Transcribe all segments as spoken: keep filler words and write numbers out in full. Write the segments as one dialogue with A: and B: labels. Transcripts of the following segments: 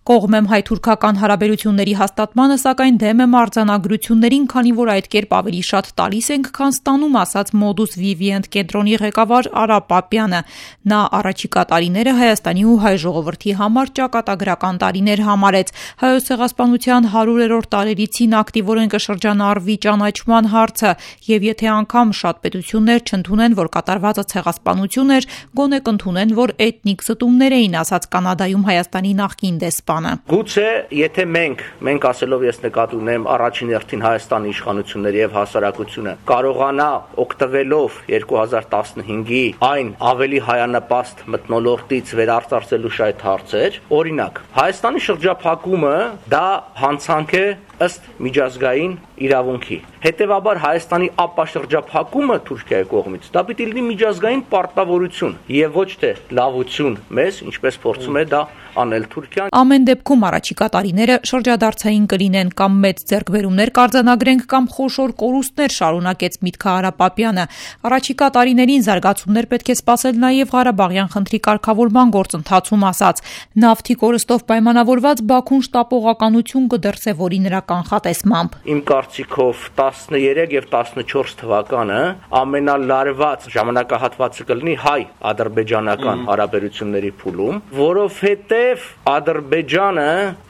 A: Կողմեմ հայ-թուրքական հարաբերությունների հաստատմանը, սակայն դեմ եմ արձանագրություններին, քանի որ այդ կերպ ավելի շատ տալիս ենք, քան ստանում, ասաց Modus Vivient կենտրոնի ղեկավար Արա Պապյանը։ Նա առաջիկա տարիները Հայաստանի ու հայ ժողովրդի համար ճակատագրական տարիներ համարեց։ Հայոց ցեղասպանության հարյուրերորդ տարելիցին ակտիվորեն կշրջանառվի ճանաչման հարցը, եւ եթե անգամ շատ պետություններ չընդունեն, որ կատարվածը ցեղասպանություն էր, գոնե կընդունեն, որ էթնիկ զտումներ էին, ասաց Կանադայում Հայաստանի նախկին դեսպանը։
B: Գուցե եթե մենք, մենք ասելով ես նկատի ունեմ առաջին հերթին Հայաստանի իշխանությունները եւ հասարակությունը կարողանա օգտվելով երկու հազար տասնհինգի այն ավելի հայանպաստ մթնոլորտից վերարտարծելու շայտ հարցեր, օրինակ Հայաստանի շրջափակումը դա հանցանք է ըստ միջազգային իրավունքի։ Հետևաբար Հայաստանի ապաշրջափակումը Թուրքիայի կողմից դա պիտի լինի միջազգային պարտավորություն եւ ոչ թե լավություն մեզ, ինչպես փորձում է դա անել Թուրքիան։
A: Ամեն դեպքում առաջիկա տարիները շրջադարձային կլինեն, կամ մեծ ձեռքբերումներ կարձանագրենք, կամ խոշոր կորուստներ, շարունակեց միտքը Արա Պապյանը։ Առաջիկա տարիներին զարգացումներ պետք է սպասել նաեւ Ղարաբաղյան խնդրի կարգավորման գործընթացում, ասաց։ Նավթի կորստով պայմանավորված Բաքուն շտապողականություն կդրսևորի նրա կանխատեսմամբ։
B: Իմ կարծիքով տասներեք եւ տասնչորս թվականը ամենալարված ժամանակահատվածը կլինի հայ-ադրբեջանական հարաբերությունների փուլում, որովհետեւ Ադրբեջանը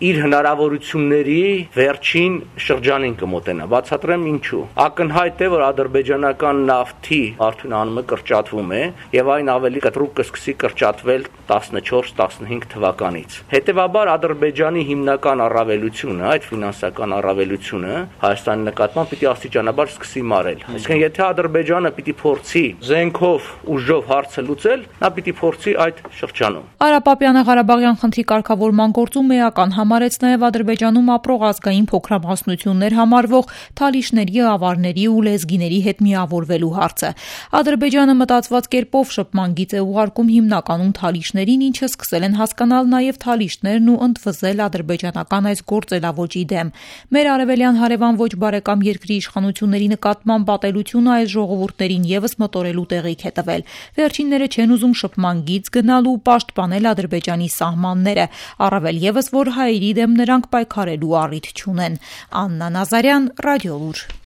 B: իր հնարավորությունների վերջին շրջանին կմոտենա։ Բացատրեմ ինչու։ Ակնհայտ է, որ ադրբեջանական նավթի արդյունքը անունը կրճատվում է եւ այն ավելի կտրուկ կսկսի կրճատվել տասնչորս տասնհինգ թվականից։ Հետևաբար Ադրբեջանի հիմնական առավելությունը, այդ ֆինանսական առավելությունը Հայաստանի նկատմամբ պիտի աստիճանաբար սկսի մարել։ Այսինքն եթե Ադրբեջանը պիտի փորձի զենքով ուժով հարցը լուծել, նա պիտի փորձի այդ շրջանում։
A: Արա Պապյանը Ղարաբաղյան խնդրի կարգավորման գործում էական համարեց նաև Ադրբեջանում ապրող ազգային փոքրամասնություններ համարվող թալիշների, ավարների ու լեզգիների հետ միավորվելու հարցը։ Ադրբեջանը մտածված կերպով շփման գիծ է ուղարկում հիմնականում թալիշներին, ինչը սկսել են հասկանալ նաև թալիշներն ու ընդվզել ադրբեջանական այս գործելավոճի դեմ։ Մեր արևելյան հարևան ոչ բարեկամ երկրի իշխանությունների նկատմամբ պատելությունը այս ժողովուրդներին եւս մտորելու տեղիք է տվել։ Վերջինները չեն ուզում շփման գիծ գնալ ու պաշտպանել Ադրբեջանի սահմանները, առավել եւս որ հայերի դեմ նրանք պայքարելու առիթ չունեն։ Աննա Նազարյան, Ռադիոլուր։